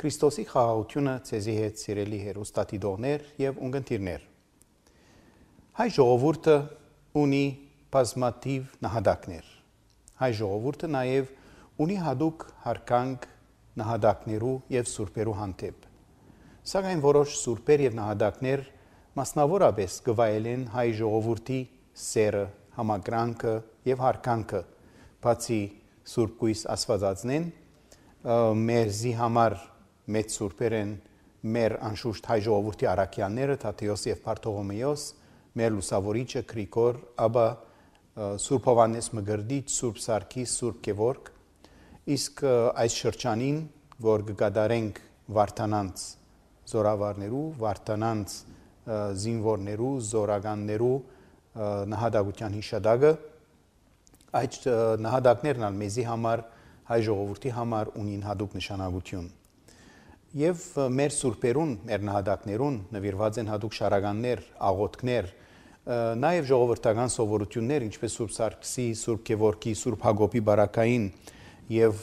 Քրիստոսի խաղաղությունը ցեզի հետ սիրելի հերոստատիդողներ եւ ունգընտիրներ։ Հայ ժողովուրդը ունի բազմաթիվ նահատակներ։ Հայ ժողովուրդը նաեւ ունի հadoop հարկանք նահատակներու եւ սուրբերու հանդեպ։ Սակայն որոշ սուրբեր եւ նահատակներ մասնավորապես գվայելեն հայ ժողովրդի սերը, համակրանքը եւ հարկանքը, բացի Սուրբ Գույս Աստվածածնեն մերզի համար մեծ սուրբեր են մեր անշուշտ հայ ժողովրդի առաքյալները Թադեոս եւ Բարթողոմեոս, մեր լուսավորիչը Գրիգոր, ապա Սուրբ Հովհաննես Մկրտիչ, Սուրբ Սարգիս, Սուրբ Գևորգ, իսկ այս շրջանին, որ կգադարենք Վարդանանց զորավարներու, Վարդանանց զինվորներու, զորականներու նահատակության հիշադակը, այդ նահատակներն ալ մեզի համար հայ ժողովրդի համար ունին հadoop նշանակություն։ Եվ մեր սուրբերուն, մեր նահատակներուն նվիրված են հadoop շարականներ, աղոթքներ, նաև ժողովրդական սովորություններ, ինչպես Սուրբ Սարգսի, Սուրբ Գևորգի, Սուրբ Հակոբի բարակային եւ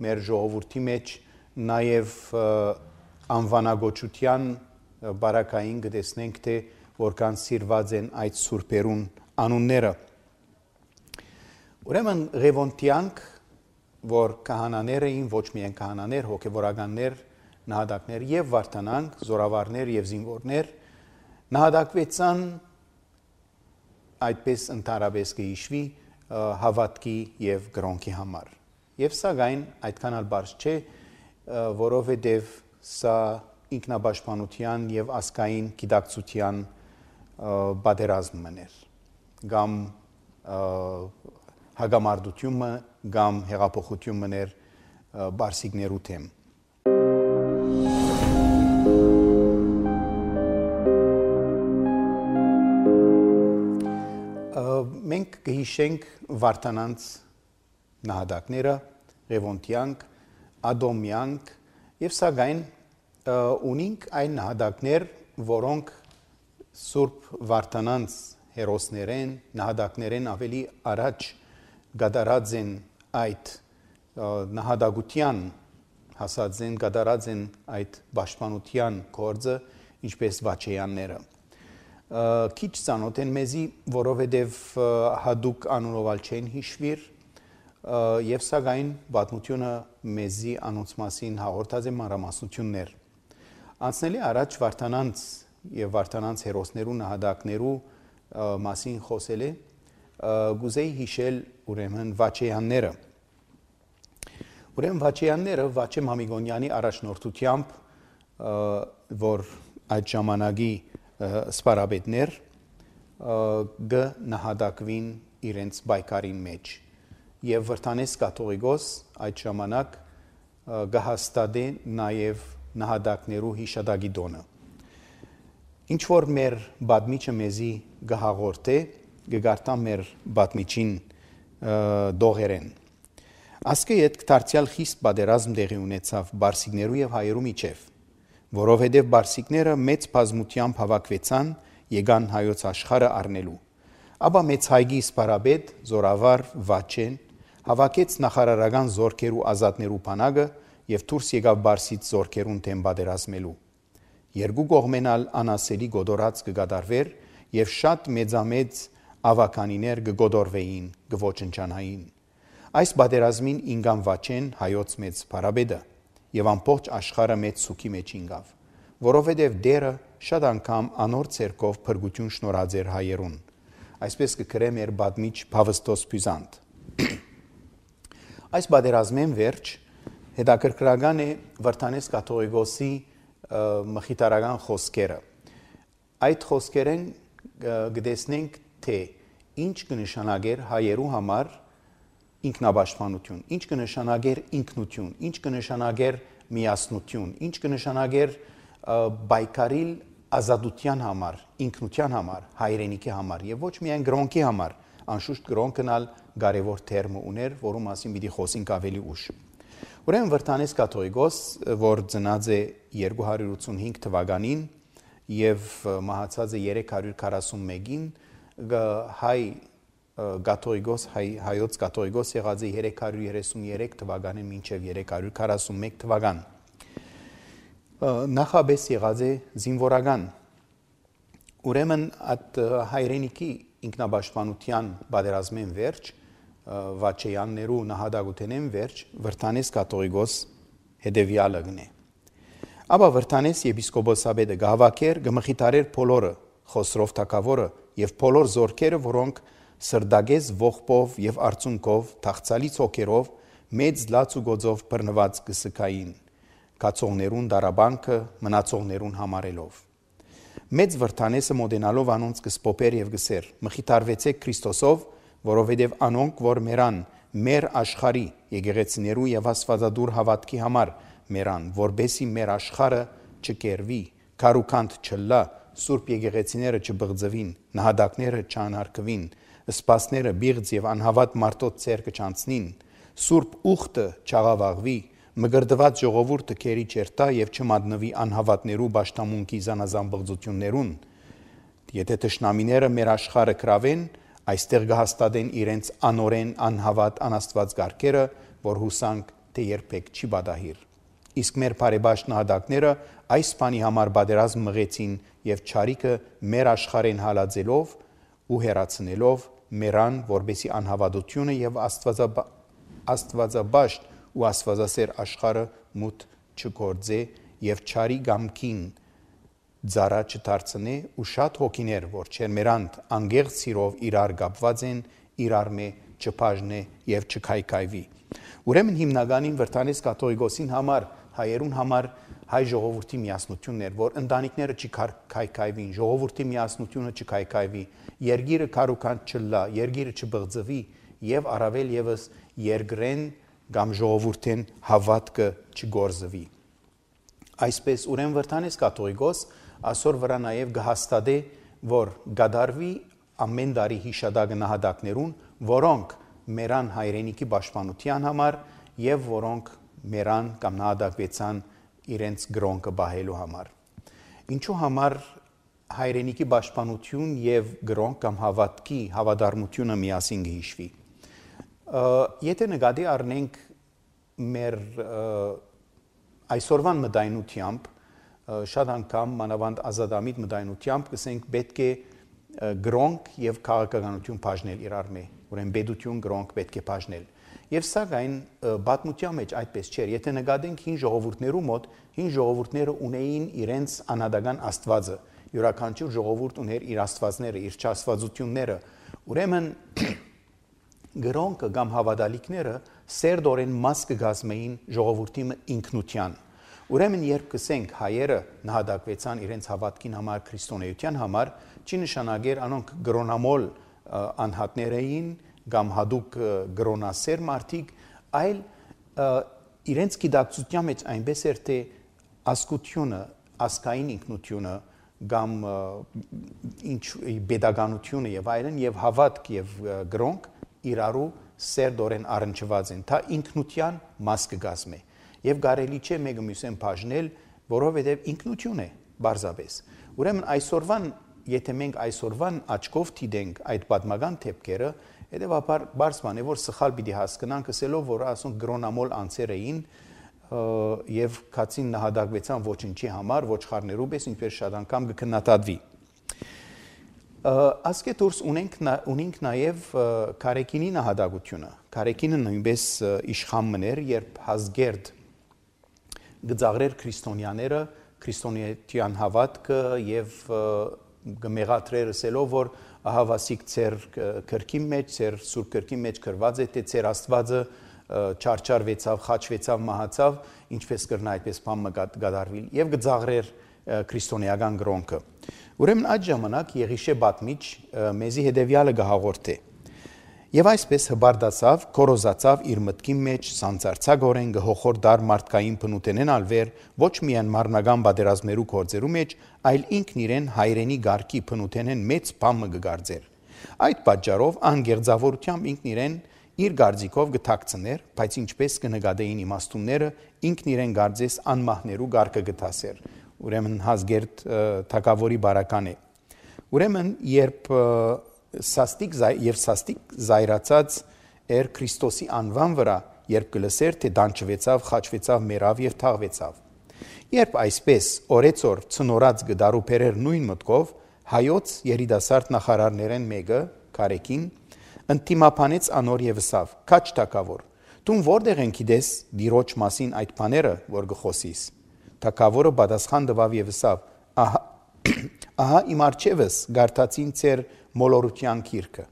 մեր ժողովրդի մեջ նաև անվանագոչության բարակային կտեսնենք, թե որքան սիրված են այդ սուրբերուն անունները։ Ուրեմն Ղևոնդյանք, որ քահանաները էին, ոչ միայն քահանաներ, հոգևորականներ, նահատակներ եւ վարդանանք, զորավարներ եւ զինվորներ, նահատակվեցան այդպես ընդհանրապես կհիշվի հավատքի եւ գրոնքի համար։ Եվ սակայն այդքան ալ բարձ չէ, որովհետեւ սա ինքնապաշտպանության եւ ազգային գիտակցության պատերազմն էր, կամ հագամարտությունը կամ հեղափոխությունն էր բարսիկներու թեմ։ Մենք կհիշենք Վարդանանց նահատակները, Ղևոնդյանք, Ադոմյանք եւ սակայն ունենք այն նահատակներ, որոնք Սուրբ Վարդանանց հերոսներեն, նահատակներեն ավելի առաջ գդարած են այդ նահատակության հասած են, գդարած են այդ պաշտպանության գործը, ինչպես վաչեյանները։ Քիչ ծանոթ են մեզի, որովհետև հadoop անունով չեն հիշվիր, եւ սակայն պատմությունը մեզի անոնց մասին հաղորդած է մանրամասնություններ։ Անցնելի առաջ Վարդանանց եւ Վարդանանց հերոսներու նահատակներու մասին խոսել է, գուզեի հիշել ուրեմն վաչեյանները։ Ուրեմն վաչեյանները Վաչե Մամիկոնյանի առաջնորդությամբ, որ այդ ժամանակի սպարաբետներ նահատակվին իրենց բայկարին մեջ եւ Վրդանես կաթողիկոս այդ ժամանակ գահստադե նաեւ նահատակներու հիշադակի տոնը։ Ինչ որ մեր բադմիչը մեզի գահաղորդ է, գգարտա մեր բադմիչին դողերեն։ Ասկե այդ դարձյալ խիստ պատերազմ տեղի ունեցավ բարսիկներու եւ հայերու միջև, որովհետեւ բարսիկները մեծ բազմությամբ հավաքվեցան եկան հայոց աշխարհը առնելու։ Ապա մեծ հայգի սպարաբեդ զորավար Վաչեն հավաքեց նախարարական զորքերու ազատներու բանակը եւ դուրս եկավ բարսից զորքերուն դեմ պատերազմելու։ Երկու կողմենալ անասելի գոդորած կգադարվեր եւ շատ մեծամեծ ավականիներ կգոդորվեին, կոչնչանային։ Այս պատերազմին ինգան Վաչեն հայոց մեծ բարաբեդը եւ ամբողջ աշխարհը մեծ սուքի մեջ ինգավ, որովհետեւ դերը շատ անգամ անոր ցերկով փրկություն շնորհած էր հայերուն։ Այսպես կգրե մեր բադմիչ Փավստոս Բյուզանտ։ Այս պատերազմեն վերջ հետաքրքրական է Վրդանես կաթողիկոսի մխիթարական խոսքերը։ Այդ խոսքերեն գտեսնենք, թե ինչ կնշանակեր հայերու համար ինքնապաշտպանություն, ինչ կնշանակեր ինքնություն, ինչ կնշանակեր միասնություն, ինչ կնշանակեր բայկարիլ ազատության համար, ինքնության համար, հայրենիքի համար եւ ոչ միայն գրոնքի համար, անշուշտ գրոնքն ալ կարևոր թերմ ուներ, որում մասին պիտի խոսենք ավելի ուշ։ Ուրեմն Վրդանես կաթողիկոս, որ ծնած է 285 թվականին եւ մահացած է 341-ին, հայ կաթողիկոս, հայոց կաթողիկոս եղած է 333 թվականին մինչև 341 թվական։ նախաբես եղած է զինվորական։ Ուրեմն այդ հայրենիքի ինքնաբաշխանության պատերազմեն վերջ, վաչեյաններու նահատակութենեն վերջ, Վրթանես կաթողիկոս հետևյալը գնե։ Աբա Վրթանես եպիսկոպոսաբեդը գահավաքեր գմխիթարեր բոլորը, Խոսրով թագավորը եւ բոլոր զորքերը, որոնք սրդագեզ ողբով եւ արցունքով, թախծալից հոգերով, մեծ լաց ու գոձով բռնված կսկային, կացողներուն դարաբանքը մնացողներուն համարելով։ Մեծ Վրթանեսը մոդենալով անոնց կսպոպեր եւ գսեր. «Մխիթարվեցեք Քրիստոսով, որովհետեւ անոնք, որ մերան մեր աշխարհի եկեղեցիներու եւ աստվածադուր հավատքի համար մերան, որբեսի մեր աշխարհը չկերվի, քարուքանդ չլա, սուրբ եկեղեցիները չբղձվին, նահատակները չանարգվին, սպասները բիղձ եւ անհավատ մարդոց ցերկը չանցնին, սուրբ ուխտը չաղավաղվի, մգրդված ժողովուրդը քերի չերտա եւ չմատնվի անհավատներու ճաշտամունքի զանազան բղձություններուն։ Եթե թշնամիները մեր աշխարհը կրավեն, այստեղ կհաստատեն իրենց անորեն անհավատ անաստված գարկերը, որ հուսանք թե երբեք չի բադահիր։ Իսկ մեր բարեբաշտ նահատակները այս բանի համար պատերազմ մղեցին եւ չարիքը մեր աշխարհեն հալածելով ու հեռացնելով մերան, որբեսի անհավատությունը եւ աստվածաբաշտ ու աստվածասեր աշխարհը մութ չգործե եւ չարի գամքին ձարա չդարձնե ու շատ հոգիներ, որ չերմերանդ անգեղ սիրով իրար կապված են, իրար մե չբաժնե եւ չքայքայվի։ Ուրեմն հիմնականին Վրթանես կաթողիկոսին համար, հայերուն համար հայ ժողովրդի միասնությունն էր, որ ընտանիքները չքայքայվին, ժողովրդի միասնությունը չքայքայվի, երգիրը քարուքանդ չլա, երգիրը չբղձվի եւ առավել եւս երգրեն կամ ժողովուրդեն հավատքը չգործվի։ Այսպես ուրեմն Վրթանես կաթողիկոս այսօր վրա նաև կհաստատե, որ գադարվի ամեն տարի հիշադակը նահատակներուն, որոնք մերան հայրենիքի պաշտպանության համար եւ որոնք մերան կամ նահատակվեցան իրենց գրոնկը բահելու համար։ Ինչու համար հայրենիքի պաշտպանություն եւ գրոնք կամ հավատքի հավատարմությունը միասին կհիշվի։ Եթե նկատի առնենք մեր այսօրվան մտայնությամբ, շատ անգամ մանավանդ ազատամիտ մտայնությամբ կսենք պետք է գրոնք եւ քաղաքականություն բաժնել իրար մե, ուրեմն պետություն գրոնք պետք է բաժնել։ Եվ սակայն պատմության մեջ այդպես չէր։ Եթե նկատենք հին ժողովուրդներու մոտ, հին ժողովուրդները ունեին իրենց անհատական աստվածը, յուրաքանչյուր ժողովուրդ ուներ իր աստվածները, իր չաստվածությունները։ Ուրեմն գրոնքը կամ հավատալիքները սերտորեն մաս կգազմեին ժողովրդի ինքնության։ Ուրեմն երբ կսենք հայերը նահատակվեցան իրենց հավատքին համար, քրիստոնեության համար, չի նշանակեր անոնք գրոնամոլ անհատներ էին կամ հadouk գրոնասեր մարդիկ, այլ իրենց գիտակցության մեջ այնպես էր թե ազգությունը, ազգային ինքնությունը կամ ինչ pedagoganությունը եւ այլն եւ հավատք եւ գրոնք իրարու սերտորեն առնչված են, դա ինքնության մաս կգազմե եւ կարելի չէ մեկը մյուսեն բաժնել, որովհետեւ ինքնություն է բարձաբես։ Ուրեմն այսօրվան, եթե մենք այսօրվան աչքով դիտենք այդ պատմական թեփքերը, հետեւաբար բարձ բան է, որ սխալ պիտի հասկանանք, ասելով, որ ասոնք գրոնամոլ անձեր էին եւ քացին նահատակվեցան ոչինչի համար, ոչխարներու պես, ինչպես շատ անգամ կքննադատվի։ Ասկե դուրս ունենք նաև Կարեկինի նահատակությունը։ Կարեկինը նույնպես իշխան մներ, երբ Հազգերդ գծաղրեր քրիստոնյաները, քրիստոնեության հավատքը եւ գմեղատրեր ասելով, որ ահավասիկ ծեր քրքի մեջ, ծեր սուրբ քրքի մեջ գրված է, թե ծեր Աստվածը չարչարվեցավ, խաչվեցավ, մահացավ, ինչպես կրնա այդպես բան գդարվի եւ գծաղրեր քրիստոնեական գրոնքը։ Ուրեմն այդ ժամանակ Եղիշե պատմիչ մեզի հետևյալը գահաղորդե. Եվ այսպես հբարդացավ, կորոզացավ իր մտքի մեջ, սանձարցագորեն գհոխոր դար մարդկային փնուտենեն ալվեր, ոչ միայն մարնական պատերազմերու գործերու մեջ, այլ ինքն իրեն հայրենի գարկի փնուտենեն մեծ բամը գգարձեր։ Այդ պատճառով անգերձավորությամբ ինքն իրեն իր գարձիկով գթակցներ, բայց ինչպես կնկատեին իմաստունները, ինքն իրեն գարձես անմահներու գարկը գտասեր։ Ուրեմն Հազգերդ թագավորի բարական է։ Ուրեմն երբ սաստիկ զայրացած էր Քրիստոսի անվան վրա, երբ կլսեր, թե դանչվեցավ, խաչվեցավ, մերավ եւ թաղվեցավ։ Երբ այսպես օրեցօր ցնորած գդարուփերեր նույն մտքով հայոց երիտասարդ նախարարներեն մեկը Կարեկին ընդդիմապանեց անոր եւսավ. «Քաչ թակավոր, դու որտեղ են գիտես դիրոջ մասին այդ բաները, որ գխոսիս»։ Թակավորը պատասխան տվավ եւսավ. «Ահա իմ արջևս գարտացին ծեր մոլորության գիրքը»։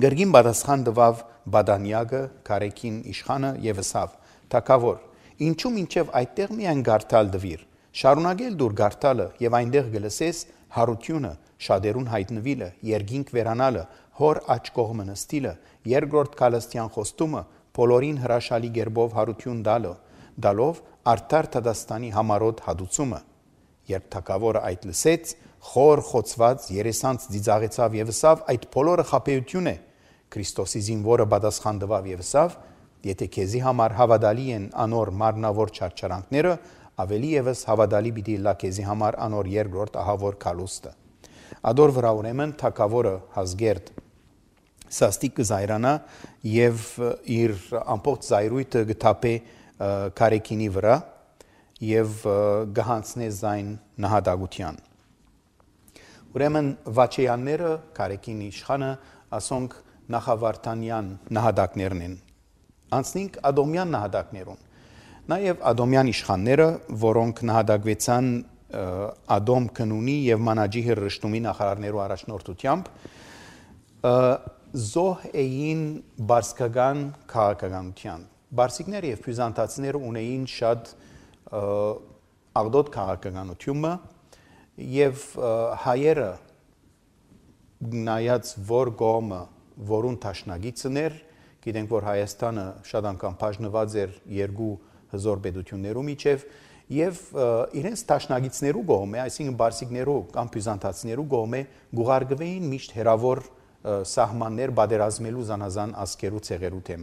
Գրգին պատասխան տվավ Բադանյագը Կարեկին իշխանը եւսավ. «Թակավոր, ինչու մինչև այդտեղ միայն գարտալ դվիր, շարունակել դուր գարտալը եւ այնտեղ գլսես հարությունը, շատերուն հայտնվիլը, երկինք վերանալը, հոր աչ կողմը նստիլը, երկրորդ քալստյան խոստումը, բոլորին հրաշալի գերբով հարություն դալով արդար Թադաստանի համարոտ հադուցումը»։ Երբ թակավորը այդ լսեց, խոր խոցված երեսանց ծիծաղեցավ եւսավ. «Այդ բոլորը խաբեություն է»։ Քրիստոսի զինվորը պատասխան տվավ եւսավ. «Եթե քեզի համար հավատալի են անոր մարմնավոր չարչարանքները, ավելի եւս հավատալի պիտի լա քեզի համար անոր երկրորդ ահավոր քալուստը»։ Ադոր վրա ուրեմն թակավորը Հազգերտ սաստիկ կզայրանա եւ իր ամբողջ զայրույթը գտապե Կարեկինի վրա եւ գահանցնե զայն նահատակության։ Ուրեմն վաչեյանները Կարեկինի իշխանը ասոնք նախավարդանյան նահատակներն են։ Անցնենք Ադոմյան նահատակներուն։ Նաև Ադոմյան իշխանները, որոնք նահատակվեցան Ադոմ Քնունի եւ Մանաջիհի Ռշտումի նախարարներու առաջնորդությամբ, զոհ էին բարսկական քաղաքականության։ Բարսիկները եւ բյուզանդացիները ունեին շատ աղդոտ քաղաքականությունը եւ հայերը նայած որ կողմը որուն տաշնագիցն էր, գիտենք որ Հայաստանը շատ անգամ բաժնված էր երկու հզոր պետություններու միջև եւ իրենց տաշնագիցներու կողմը, այսինքն բարսիկներու կամ բյուզանդացիներու կողմը գուղարկվեին միշտ հերավոր սահմաններ պատերազմելու զանազան ազգերու ցեղերու թեմ։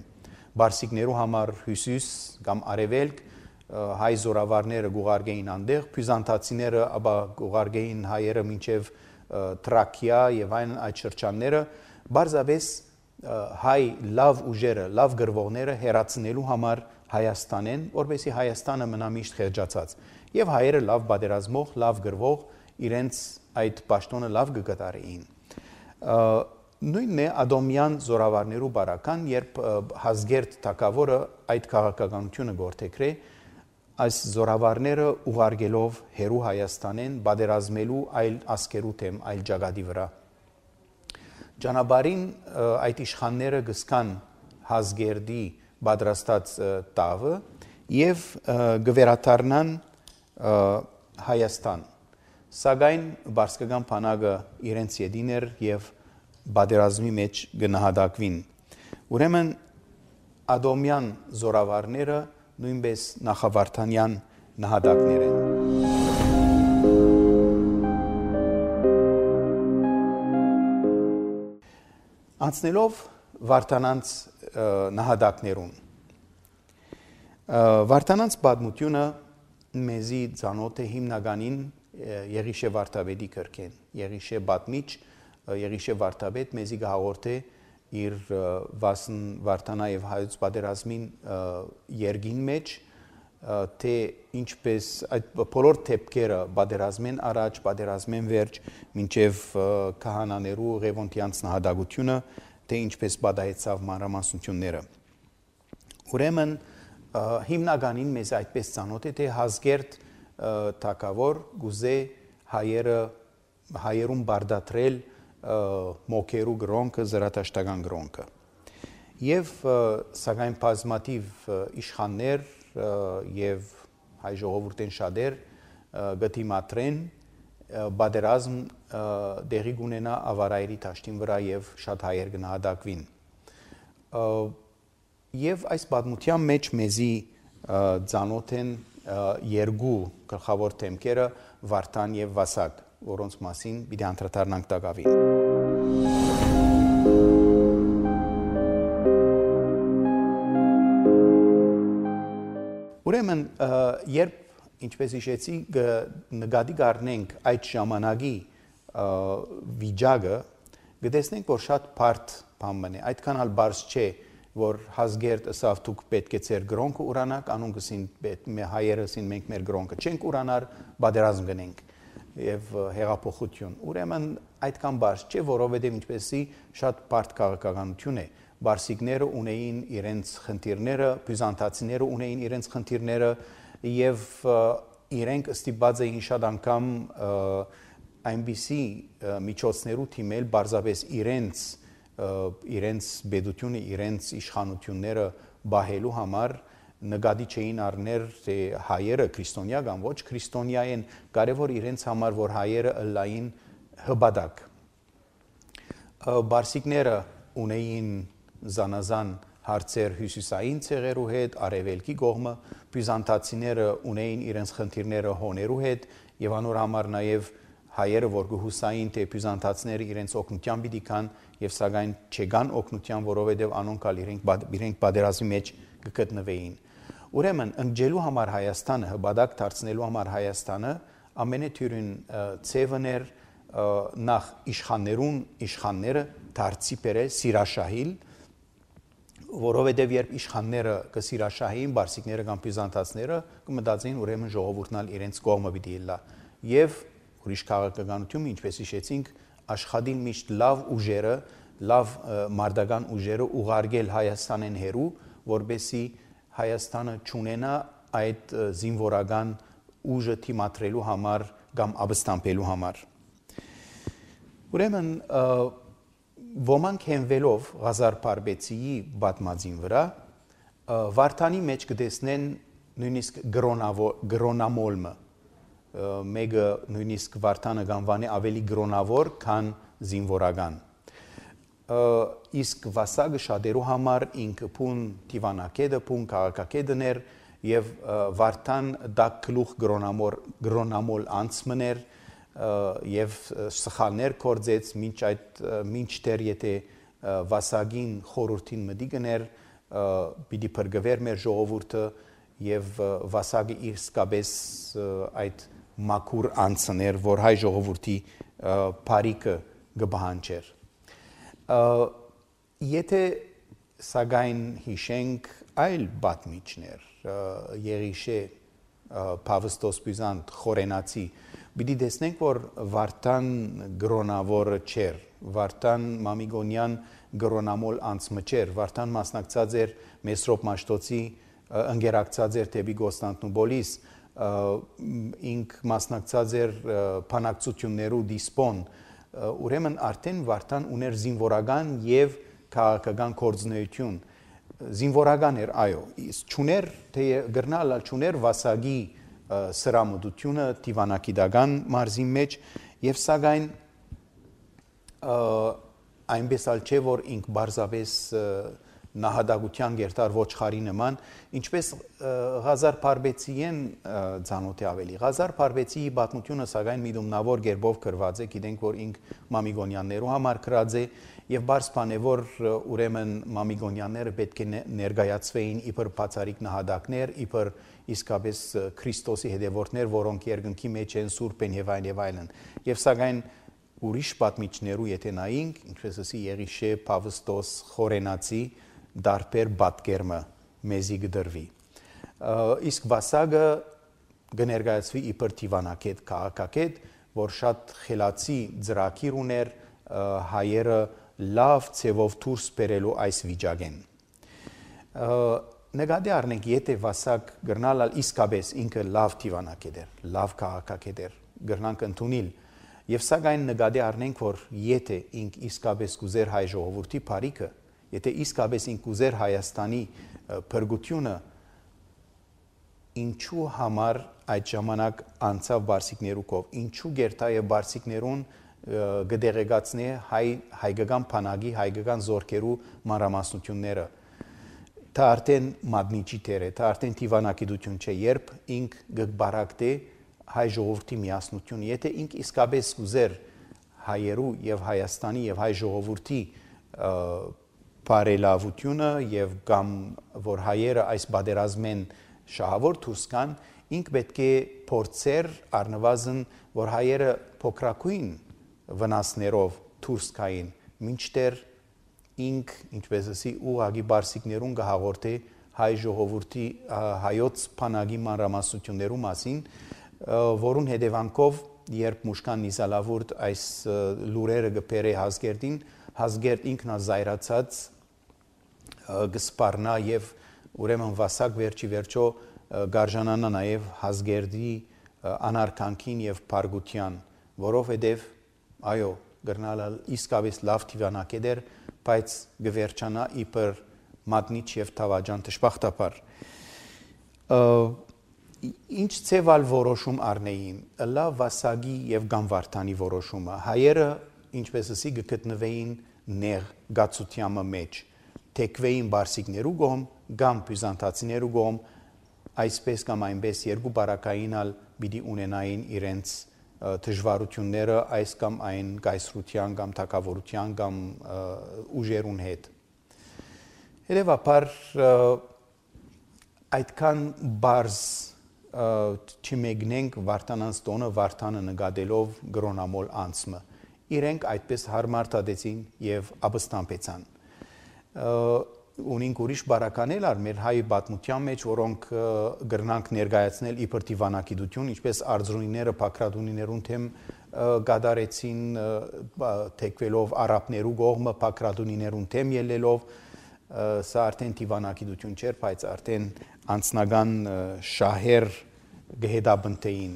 Բարսիկներու համար հյուսիս կամ արևելք հայ զորավարները գուղարկեին այնտեղ, բյուզանդացիները ապա գուղարկեին հայերը մինչև Թրակիա եւ այդ շրջանները, բարձավես հայ լավ ուժերը, լավ գրվողները հերացնելու համար Հայաստանեն, որովհետեւ Հայաստանը մնա միշտ խեղճացած։ Եվ հայերը լավ պատերազմող, լավ գրվող, իրենց այդ պաշտոնը լավ կգտարեին։ Նույնն է Ադոմյան զորավարներու բարական, երբ Հազգերտ թակավորը այդ քաղաքականությունը գործեքրե, այս զորավարները ուղարկելով հերու Հայաստանեն պատերազմելու այլ ազգերու թեմ, այլ ճակատի վրա։ Ճանապարհին այդ իշխանները գսկան Հազգերդի պատրաստած տավը եւ գվերաթարնան Հայաստան։ Սակայն բարսկական բանակը իրենց յետին էր եւ պատերազմի մեջ գնահատակվին։ Ուրեմն Ադոմյան զորավարները նույնպես նախավարդանյան նահատակներ են։ Անցնելով Վարդանանց նահատակներուն։ Վարդանանց պատմությունը մեզի ծանոթ է հիմնականին Եղիշե Վարդապետի կրկեն։ Եղիշե պատմիչ, Եղիշե Վարդապետ մեզի գահորդե իր Վասն Վարդանա եւ հայոց պատերազմին երգին մեջ, թե ինչպես այդ բոլոր թեփքերը պատերազմեն առաջ, պատերազմեն վերջ, մինչև քահանաներու Ղևոնդյանց նահատակությունը, թե ինչպես պատահեցավ մանրամասնությունները։ Ուրեմն հիմնականին մեզ այդպես ծանոթ է, թե Հազգերտ թակավոր գուզե հայերուն բարդատրել մոքերու գրոնքը, զրատաշտական գրոնքը։ Եվ սակայն բազմաթիվ իշխաններ եւ հայ ժողովուրդեն շատեր գտիմատրեն պատերազմ դեղի գունենա ավարայրի տաշտին վրա եւ շատ հայեր գնահատակվին։ Եվ այս պատմության մեջ մեզի ծանոթ են երկու գլխավոր թեմքերը Վարդան եւ Վասակ, որոնց մասին պիտի անդրադառնանք տակավին։ Ուրեմն երբ ինչպես հիշեցի նկատի կառնենք այդ ժամանակի վիճակը, կտեսնենք որ շատ բարդ բան է, այդքան ալ բարձ չէ որ Հասգերտ ըսավ դուք պետք է ձեր գրոնքը ուրանաք, անուն գսին հայերը ասին մենք մեր գրոնքը չենք ուրանար, բادرազմ գնենք եւ հեղափոխություն։ Ուրեմն այդքան բարձ չէ, որովհետեւ ինչպեսի շատ բարդ քաղաքականություն է։ Բարսիկները ունեին իրենց խնդիրները, բյուզանդացիները ունեին իրենց խնդիրները եւ իրենք ստիպված էին շատ անգամ այնպիսի միջոցներու թիմել բարձրապես իրենց բեդությունը, իրենց իշխանությունները բահելու համար նկատի չէին առներ թե հայերը քրիստոնյա կամ ոչ քրիստոնյա են, կարևոր իրենց համար որ հայերը ըլլային հբադակ։ Բարսիկները ունեին զանազան հարցեր հյուսիսային ցեղերու հետ, արևելքի կողմը, բյուզանդացիները ունեին իրենց խնդիրները հոներու հետ եւ անոր համար նաեւ հայերը որ գհուսային թե բյուզանդացիները իրենց օգնության պիտի կան եւ սակայն չեկան օգնության, որովհետեւ անոնքալ իրենք բادرազի մեջ կգտնվեին։ Ուրեմն ընկելու համար Հայաստանը, հբադակ դարձնելու համար Հայաստանը ամենաթյուրին ցևներ նախ իշխանները դարձի բերել սիրաշահիլ, որովհետև երբ իշխանները կսիրաշահեին, բարսիկները կամ բյուզանդացիները կմտածեին ուրեմն ժողովուրդն իրենց կողմը պիտի լա եւ ուրիշ քաղաքականություն, ինչպես հիշեցինք, աշխատին միշտ լավ ուժերը, լավ մարդական ուժերը ուղարկել Հայաստանեն հերու, որբեսի Հայաստանը չունենա այդ զինվորական ուժը թիմադրելու համար կամ ապստամբելու համար։ Ուրեմն ոմանք հենվելով Ղազար Փարպեցիի պատմածին վրա Վարդանի մեջ կտեսնեն նույնիսկ գրոնամոլմը, մեկը նույնիսկ Վարդանը գանվանի ավելի գրոնավոր, քան զինվորական։ Իսկ վասագը շատերու համար ինքը փուն դիվանակետը, փուն քաղաքակետն էր եւ Վարդան դա գլուխ գրոնամոլ անցմներ եւ սխալներ կործեց մինչդեռ եթե վասագին խորհրդին մտի գներ պիտի փրկվեր մեր ժողովուրդը եւ վասագը իսկապես այդ մաքուր անցներ որ հայ ժողովրդի բարիկը գբահանջեր եթե սակայն հիշենք այլ պատմիչներ Եղիշե Պավստոս Բյուզանդ խորենացի պիտի տեսնենք որ Վարդան գրոնավորը չէր Վարդան Մամիգոնյան գրոնամոլ անցմը չէր Վարդան մասնակցած էր Մեսրոպ Մաշտոցի ընկերակցած էր դեպի Կոստանդնուպոլիս ինք մասնակցած էր բանակցություններու դիսպոն ուրեմն արդեն Վարդան ուներ զինվորական եւ քաղաքական կորձնեություն զինվորական էր այո չուներ թե գրնալ չուներ վասագի սրամուտությունը դիվանագիտական մարզի մեջ եւ սակայն այնպես ալ չէ որ ինք բարձրապես նահատակության գերտար ոչխարի նման ինչպես Ղազար Փարպեցիեն ցանոթի ավելի Ղազար Փարպեցիի պատմությունը սակայն միտումնավոր գերբով գրված է գիտենք որ ինք Մամիգոնյաններու համար գրած է եւ բարձ բան է որ ուրեմն Մամիգոնյանները պետք է ներկայացվեին իբր բացարիք նահատակներ իբր իսկապես Քրիստոսի հետևորդներ որոնք երկնքի մեջ են սուրբ են եւ այլն եւ սակայն ուրիշ պատմիչներու եթե նայենք ինչպես ասի Եղիշե Պավստոս խորենացի դարբեր պատկերմը մեզի գդրվի իսկ վասագը կներկայացվի իբր դիվանագետ քաղաքագետ որ շատ խելացի ծրագիր ուներ հայերը լավ ցևով դուրս բերելու այս վիճակեն նկատի առնենք եթե վասակ գրնալ իսկապես ինքը լավ դիվանագետ էր լավ քաղաքագետ էր գրնանք ընդունել եւ սակայն նկատի առնենք որ եթե ինք իսկապես կուզեր հայ ժողովրդի բարիկը եթե իսկապես ինք կուզեր Հայաստանի փրկությունը ինչու համար այդ ժամանակ անցավ բարսիկներու կով ինչու գերտայը բարսիկներուն գդեղեցնի հայկական բանակի հայկական զորքերու մանրամասնությունները դա արդեն մատնիչի տեր է դա արդեն դիվանագիտություն չէ երբ ինք գբարակտե հայ ժողովրդի միասնություն եթե ինք իսկապես կուզեր հայերու եւ Հայաստանի եւ հայ ժողովրդի բարելավությունը եւ կամ որ հայերը այս բادرազմեն շահավոր դուրս կան ինք պետք է փորձեր առնվազն որ հայերը փոքրակույն վնասներով դուրս կային մինչդեռ ինք ինչպես ասի ուղագի բարսիկներուն գահաղորդե հայ ժողովրդի հայոց բանակի մանրամասնություններու մասին, որուն հետևանքով երբ Մուշկան Նիզալավուրդ այս լուրերը գբերե Հազգերդին, Հազգերդ ինքնազայրացած գսպառնա եւ ուրեմն վասակ վերջի վերջո գարժանանա նաեւ Հազգերդի անարքանքին եւ բարգության, որովհետեւ այո գրնալալ իսկավես լավ թիվանակեդեր, բայց գվերջանա իբր մատնիչ եւ թավաջան դժբախտաբար ինչ ցեվալ որոշում առնեին լավ վասագի եւ գամվարտանի որոշումը հայերը ինչպես ասի գտնվեին ներ գացությամը մեջ թեկվեին բարսիկներու գոմ գամ բյուզանդացիներու գոմ այսպես կամ այնպես երկու բարակայինալ պիտի ունենային իրենց դժվարությունները այս կամ այն գայսրության կամ թակավորության կամ ուժերուն հետ Հետևաբար այդքան բարձ չմեգնենք վարտանանց տոնը վարտանը նկատելով գրոնամոլ անցմը իրենք այդպես հարմարտադեցին եւ ապստամբեցան ունին ուրիշ բարականել ար մեր հայ պատմության մեջ որոնք գրնանք ներկայացնել իբր դիվանագիտություն ինչպես արձունիները փակրադունիներուն թեմ գադարեցին թեկվելով արաբներու կողմը փակրադունիներուն թեմ ելելով սա արդեն դիվանագիտություն չէր, բայց արդեն անձնական շահեր գհետաբնտեին։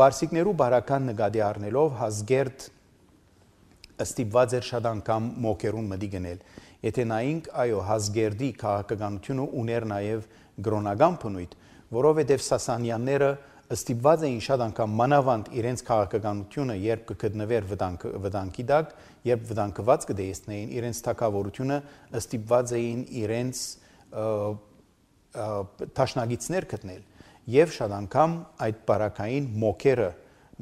Բարսիկներու բարական նկատի առնելով Հազգերդ ստիպված էր շատ անգամ մոկերուն մտի գնել։ Եթե նայենք, այո, Հազգերդի քաղաքականությունը ուներ նաև գրոնական բնույթ, որովհետև Սասանյանները ստիպված էին շատ անգամ մանավանդ իրենց քաղաքականությունը, երբ կգտնվեր վտանգի տակ, երբ վտանգված կդեսնեին իրենց թագավորությունը, ստիպված էին իրենց տաշնագիցներ գտնել եւ շատ անգամ այդ բարակային մոկերը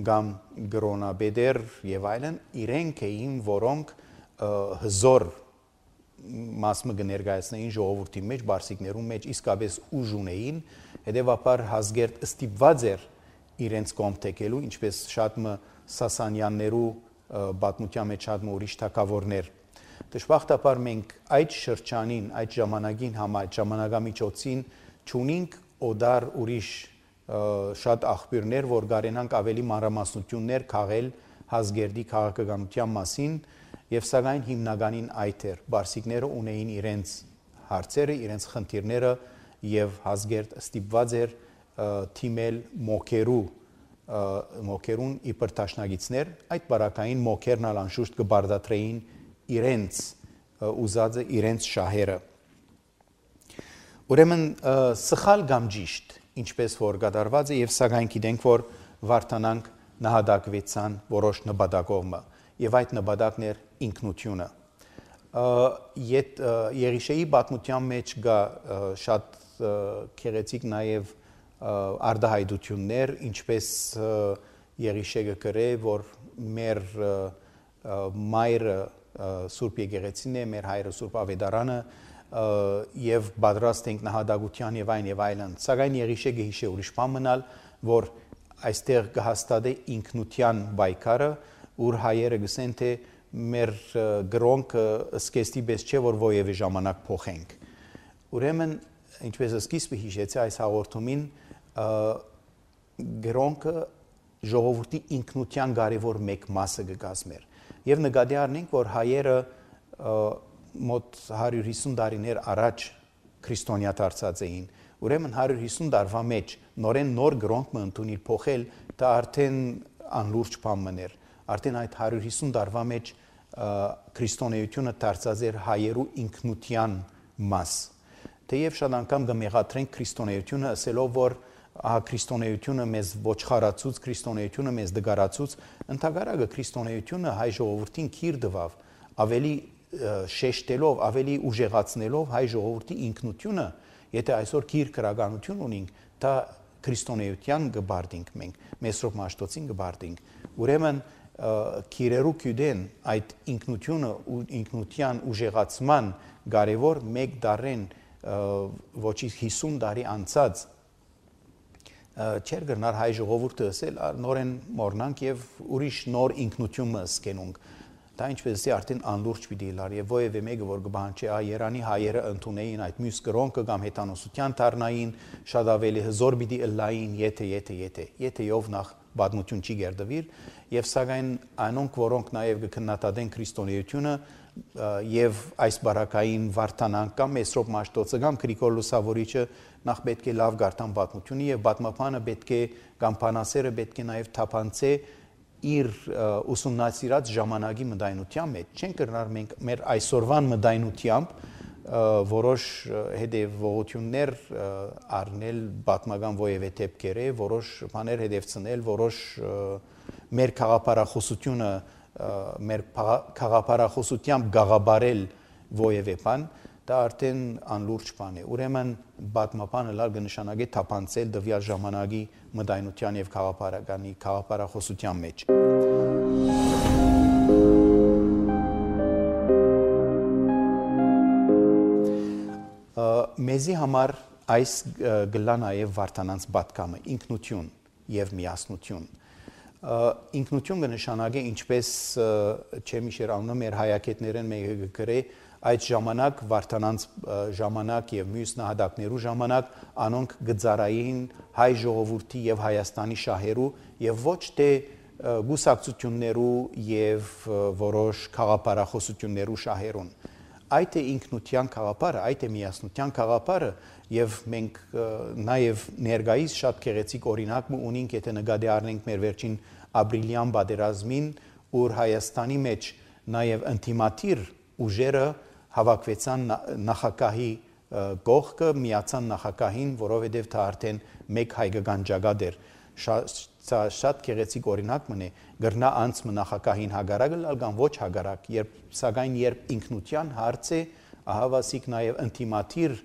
կամ գրոնաբեդեր եւ այլն իրենք էին, որոնք հզոր մասը կներկայացնեին ժողովրդի մեջ, բարսիկներու մեջ իսկապես ուժ ունեին, հետևաբար Հազգերդ ստիպված էր իրենց կողմ թեքելու, ինչպես շատ մը Սասանյաններու պատմության մեջ շատ մը ուրիշ թագավորներ։ Դժբախտաբար մենք այդ շրջանին, այդ ժամանակին ժամանակամիջոցին չունենք օդար ուրիշ շատ աղբյուրներ, որ գարենանք ավելի մանրամասնություններ քաղել Հազգերդի քաղաքականության մասին եւ սակայն հիմնականին այդ էր բարսիկները ունեին իրենց հարցերը, իրենց խնդիրները եւ Հազգերդ ստիպված էր թիմել մոկերուն իբր տաշնագիցներ, այդ բարակային մոկերն անշուշտ կբարդատրեին իրենց ուզածը, իրենց շահերը։ Ուրեմն սխալ կամ ճիշտ, ինչպես որ կատարված է եւ սակայն գիտենք, որ վարտանանք նահատակվեցան որոշ նպատակով եւ այդ նպատակն էր ինքնությունը։ Եղիշեի պատմության մեջ կա շատ քեղեցիկ նաեւ արտահայտություններ, ինչպես Եղիշեը գրե, որ մեր մայրը Սուրբ Եկեղեցին է, մեր հայրը Սուրբ Ավետարանը եւ պատրաստ ենք նահատակության եւ այլն, սակայն Եղիշեը հիշե ուրիշ բան մնալ, որ այստեղ կհաստատե ինքնության պայքարը, ուր հայերը գսեն թե մեր գրոնքը սկեստի պես չէ, որ ովևէ ժամանակ փոխենք։ Ուրեմն, ինչպես սկիզբը հիշեցի այս հաղորդումին, գրոնքը ժողովրդի ինքնության կարևոր մեկ մասը կկազմեր։ Եվ նկատի առնենք, որ հայերը մոտ 150 տարիներ առաջ քրիստոնյա դարձած էին։ Ուրեմն 150 տարվա մեջ նորեն նոր գրոնք ընդունիլ փոխել, դա արդեն անլուրջ բան մներ։ Արդեն այդ 150 տարվա մեջ քրիստոնեությունը դարձած էր հայերու ինքնության մաս։ Թեև շատ անգամ կմեղադրենք քրիստոնեությունը ասելով, որ քրիստոնեությունը մեզ ոչխարացուց, քրիստոնեությունը մեզ դգարացուց, ընդհանրակը քրիստոնեությունը հայ ժողովրդին քիր տվավ, ավելի շեշտելով, ավելի ուժեղացնելով հայ ժողովրդի ինքնությունը, եթե այսօր քիր քրագանություն ունենք, դա քրիստոնեության կբարդինք մենք, Մեսրոպ Մաշտոցին կբարդինք։ Ուրեմն քիրերու քյուդեն այդ ինքնությունը ու ինքնության ուժեղացման կարևոր մեկ դարեն ոչի 50 տարի անցած չեր գնար հայ ժողովուրդը ասել նորեն մորնանք եւ ուրիշ նոր ինքնություն սկենունք։ դա ինչպես է արդեն անլուրջ պիտի լար եւ ովևէ մեկը որ կբանչի Երանի հայերը ընդունեին այդ մյուս կրոնքը կամ հետանոսության դառնային շատ ավելի հզոր պիտի ըլլային եթե ով նախ բադմություն չի գերդվիր եւ սակայն անոնք որոնք նաեւ կքննադատեն քրիստոնեությունը եւ այս բարակային վարդանանք կամ Մեսրոպ Մաշտոցը կամ Գրիգոր Լուսավորիչը նախ պետք է լավ գարտան պատմությունը եւ պատմապանը պետք է կամ բանասերը պետք է նաեւ թափանցե իր ուսումնասիրած ժամանակի մտայնության մեջ չեն կրնար մենք մեր այսօրվան մտայնությամբ որոշ հետևողություններ առնել պատմական ովևէ դեպքերը որոշ բաներ հետևցնել որոշ մեր քաղաքապարախոսությունը մեր քաղաքապարախոսությամբ գաղաբարել ովևէ բան դա արդեն անլուրջ բան է ուրեմն պատմապանը լավ կնշանակի թափանցել դվյալ ժամանակի մտայնության եւ քաղաքապարախոսության մեջ մեզի համար այս գլա նաեւ վարդանանց պատկամը ինքնություն եւ միասնություն ինքնություն կնշանակի ինչպես չեմիշեր անունը մեր հայակետներեն մեկը գրե այդ ժամանակ վարդանանց ժամանակ եւ մյուս նահատակներու ժամանակ անոնք գծարային հայ ժողովրդի եւ Հայաստանի շահերու եւ ոչ թե գուսակցություններու եւ որոշ քաղաքապարախոսություններու շահերուն այդ է ինքնության քաղաքապարը այդ է միասնության քաղաքապարը եւ մենք նաեւ ներգայիս շատ գեղեցիկ օրինակ ունենք եթե նկատի առնենք մեր վերջին ապրիլյան պատերազմին ուր Հայաստանի մեջ նաեւ ինտիմատիր ուժերը հավաքվեցան նախագահի գողքը միացան նախագահին որովհետև դա արդեն մեկ հայկական ճակատ էր շատ գեղեցիկ օրինակ մնե գրնա անցը նախագահին հագարակը լալ կամ ոչ հագարակ սակայն երբ ինքնության հարց է ահավասիկ նաև ինտիմատիր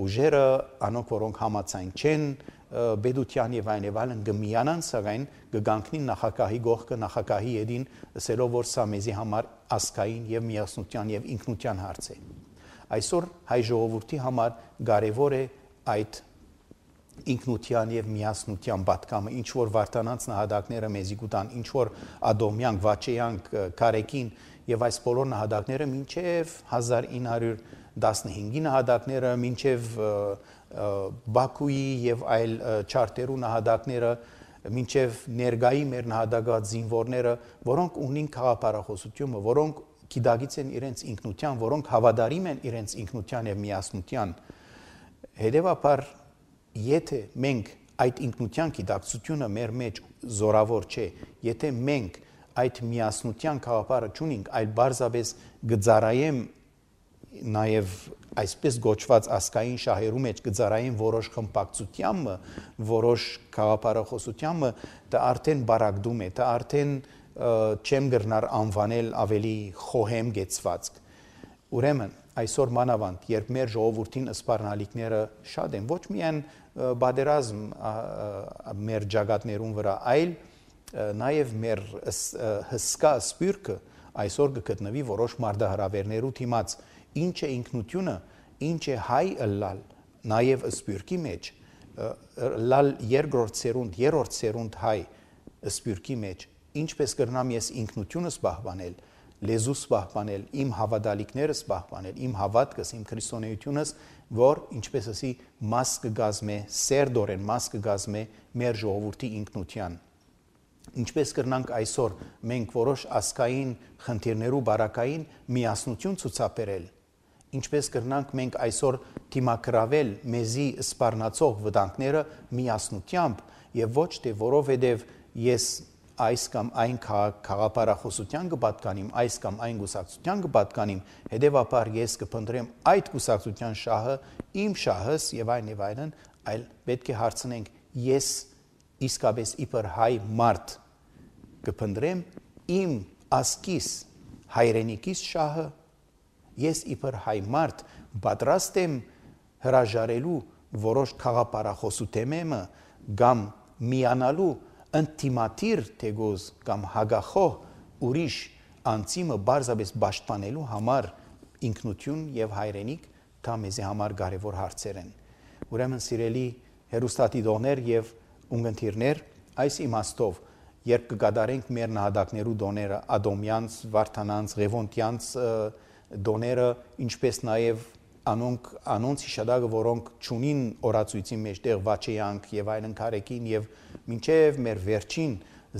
ուժերը անոնք որոնք համացայն չեն բեդության եւ այլն գմիանան սակայն գգանքնին նախագահի գողքը նախագահի յետին ասելով որ սա մեզի համար ասկային եւ միասնության եւ ինքնության հարց է այսօր հայ ժողովրդի համար կարեւոր է այդ ինքնության եւ միասնության պատկամը ինչ որ վարդանանց նահատակները մեզի գուտան ինչ որ ադոմյան վաչեյանք կարեկին եւ այս բոլոր նահատակները մինչեւ 1915-ի նահատակները մինչեւ Բաքուի եւ այլ չարտերու նահատակները մինչեւ ներգայի մեր նահատակած զինվորները որոնք ունին քաղաքապարախոսությունը որոնք գիտակից են իրենց ինքնության որոնք հավատարիմ են իրենց ինքնության եւ միասնության հետեւաբար եթե մենք այդ ինքնության գիտակցությունը մեր մեջ զորավոր չէ եթե մենք այդ միասնության քաղաքապարը չունենք այլ բարձրապես գծարայեմ նաև այսպես գոչված ասկային շահերու մեջ գծարային որոշ խմբակցությամբ որոշ քաղաքապարախոսությամբ դա արդեն բարակդում է դա արդեն չեմ գրնար անվանել ավելի խոհեմ գեցվածք ուրեմն այսօր մանավանդ երբ մեր ժողովրդին սպառնալիքները շատ են ոչ միայն բادرազմ մեր ճակատներուն վրա այլ նաև մեր հսկա սպյուրքը այսօր կգտնվի որոշ մարդահրավերներու թիմած ինչ է ինքնությունը ինչ է հայ ըլլալ նաև սպյուրքի մեջ լալ երկրորդ երրորդ հայ սպյուրքի մեջ ինչպես կրնամ ես ինքնությունս պահպանել լեզուս պահպանել իմ հավատալիքներս պահպանել իմ հավատքս իմ քրիստոնեությունս որ ինչպես ասի մաս կգազմե սերդորեն մաս կգազմե մեր ժողովրդի ինքնության ինչպես կրնանք այսօր մենք որոշ ասկային խնդիրներու բարակային միասնություն ցուցաբերել ինչպես կրնանք մենք այսօր թիմակրավել մեզի սպառնացող վտանգները միասնությամբ եւ ոչ թե որովհետեւ ես այս կամ այն քաղաքապարախոսության կպատկանիմ այս կամ այն գուսակցության կպատկանիմ հետեւաբար ես կփնտրեմ այդ գուսակցության շահը իմ շահս եւ այլն այլ պետք է հարցնենք ես իսկապես իբր հայ մարդ կփնտրեմ իմ ասկիս հայրենիքիս շահը ես իբր հայ մարդ պատրաստ եմ հրաժարելու որոշ քաղաքապարախոսութեմը կամ միանալու ինտիմատիր թեգոզ կամ հագախոհ ուրիշ անցիմը բարձրապես պաշտպանելու համար ինքնություն եւ հայրենիք դա մեզի համար կարեւոր հարցեր են ուրեմն սիրելի հերոստատիտողներ եւ ունգընտիրներ այս իմաստով երբ կգադարենք մեր նահատակներու դոները, Ադոմյանց, Վարդանանց, Ղևոնտյանց դոները, ինչպես նաև անոնց հիշադակը, որոնք ճունին օրացույցի մեջտեղ վաչեյանք եւ այլն կարեկին եւ մինչեւ մեր վերջին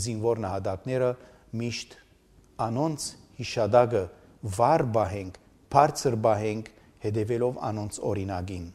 զինվոր նահատակները միշտ անոնց հիշադակը վար բահենք, բարձր բահենք, հետևելով անոնց օրինակին։